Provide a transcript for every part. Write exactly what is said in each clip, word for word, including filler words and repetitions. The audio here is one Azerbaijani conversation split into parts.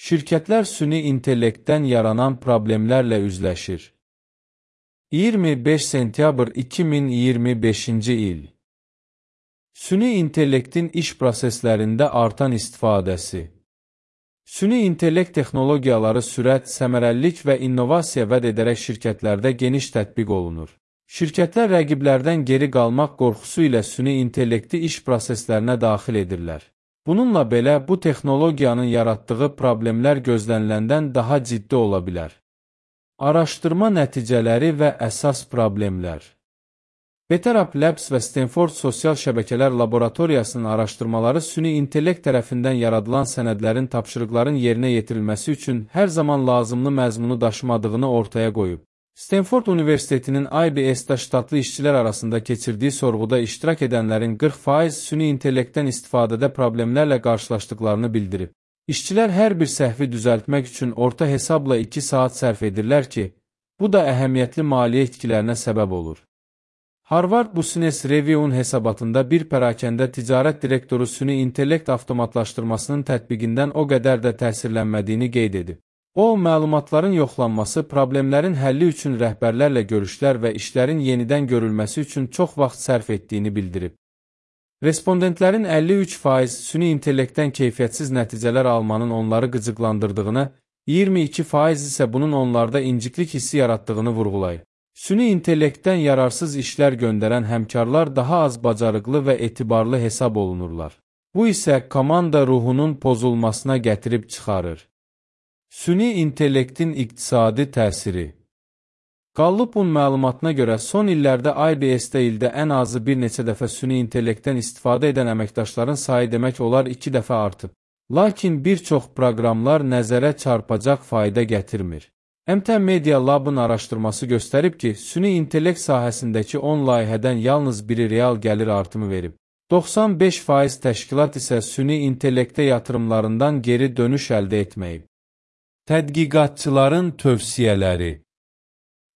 Şirkətlər süni intellektdən yaranan problemlərlə üzləşir. iyirmi beş sentyabr iki min iyirmi beşinci il. Süni intellektin iş proseslərində artan istifadəsi. Süni intellekt texnologiyaları sürət, səmərəlilik və innovasiya vəd edərək şirkətlərdə geniş tətbiq olunur. Şirkətlər rəqiblərdən geri qalmaq qorxusu ilə süni intellekti iş proseslərinə daxil edirlər. Bununla belə, bu texnologiyanın yaratdığı problemlər gözləniləndən daha ciddi ola bilər. Araşdırma nəticələri və əsas problemlər. Better Up Labs və Stanford Sosial Şəbəkələr Laboratoriyasının araşdırmaları süni intellekt tərəfindən yaradılan sənədlərin tapşırıqların yerinə yetirilməsi üçün hər zaman lazımlı məzmunu daşımadığını ortaya qoyub. Stanford Universitetinin I B S-də ştatlı işçilər arasında keçirdiyi sorğuda iştirak edənlərin qırx faiz süni intellektdən istifadədə problemlərlə qarşılaşdıqlarını bildirib. İşçilər hər bir səhvi düzəltmək üçün orta hesabla iki saat sərf edirlər ki, bu da əhəmiyyətli maliyyə itkilərinə səbəb olur. Harvard Business Review'un hesabatında bir pərakəndə ticarət direktoru süni intellekt avtomatlaşdırmasının tətbiqindən o qədər də təsirlənmədiyini qeyd edib. O, məlumatların yoxlanması, problemlərin həlli üçün rəhbərlərlə görüşlər və işlərin yenidən görülməsi üçün çox vaxt sərf etdiyini bildirib. Respondentlərin əlli üç faiz süni intellektdən keyfiyyətsiz nəticələr almanın onları qıcıqlandırdığını, iyirmi iki faiz isə bunun onlarda inciklik hissi yaratdığını vurğulayır. Süni intellektdən yararsız işlər göndərən həmkarlar daha az bacarıqlı və etibarlı hesab olunurlar. Bu isə komanda ruhunun pozulmasına gətirib çıxarır. Süni intellektin iqtisadi təsiri. Gallup'un məlumatına görə son illərdə I B S-də ildə ən azı bir neçə dəfə süni intellektdən istifadə edən əməkdaşların sayı demək olar iki dəfə artıb. Lakin bir çox proqramlar nəzərə çarpacaq fayda gətirmir. M T Media Lab'ın araşdırması göstərib ki, süni intellekt sahəsindəki on layihədən yalnız biri real gəlir artımı verib. doxsan beş faiz təşkilat isə süni intellektə yatırımlarından geri dönüş əldə etməyib. Tədqiqatçıların tövsiyələri.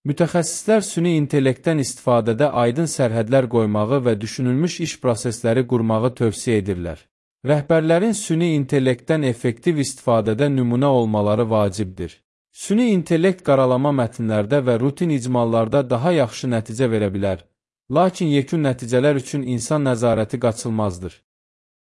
Mütəxəssislər süni intellektdən istifadədə aydın sərhədlər qoymağı və düşünülmüş iş prosesləri qurmağı tövsiyə edirlər. Rəhbərlərin süni intellektdən effektiv istifadədə nümunə olmaları vacibdir. Süni intellekt qaralama mətnlərdə və rutin icmallarda daha yaxşı nəticə verə bilər, lakin yekun nəticələr üçün insan nəzarəti qaçılmazdır.